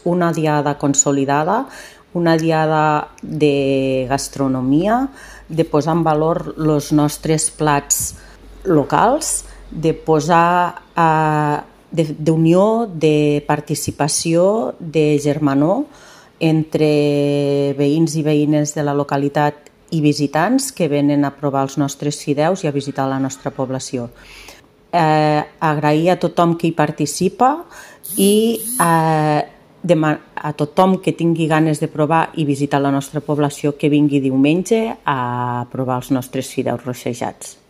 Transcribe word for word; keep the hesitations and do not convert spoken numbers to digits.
una diada consolidada, una diada de gastronomia, de posar en valor els nostres plats locals, de posar eh, d'unió, de participació, de germanor entre veïns i veïnes de la localitat i visitants que venen a provar els nostres fideus i a visitar la nostra població. Eh, agrair a tothom que hi participa i eh, a tothom que tingui ganes de provar i visitar la nostra població que vingui diumenge a provar els nostres fideus rossejats.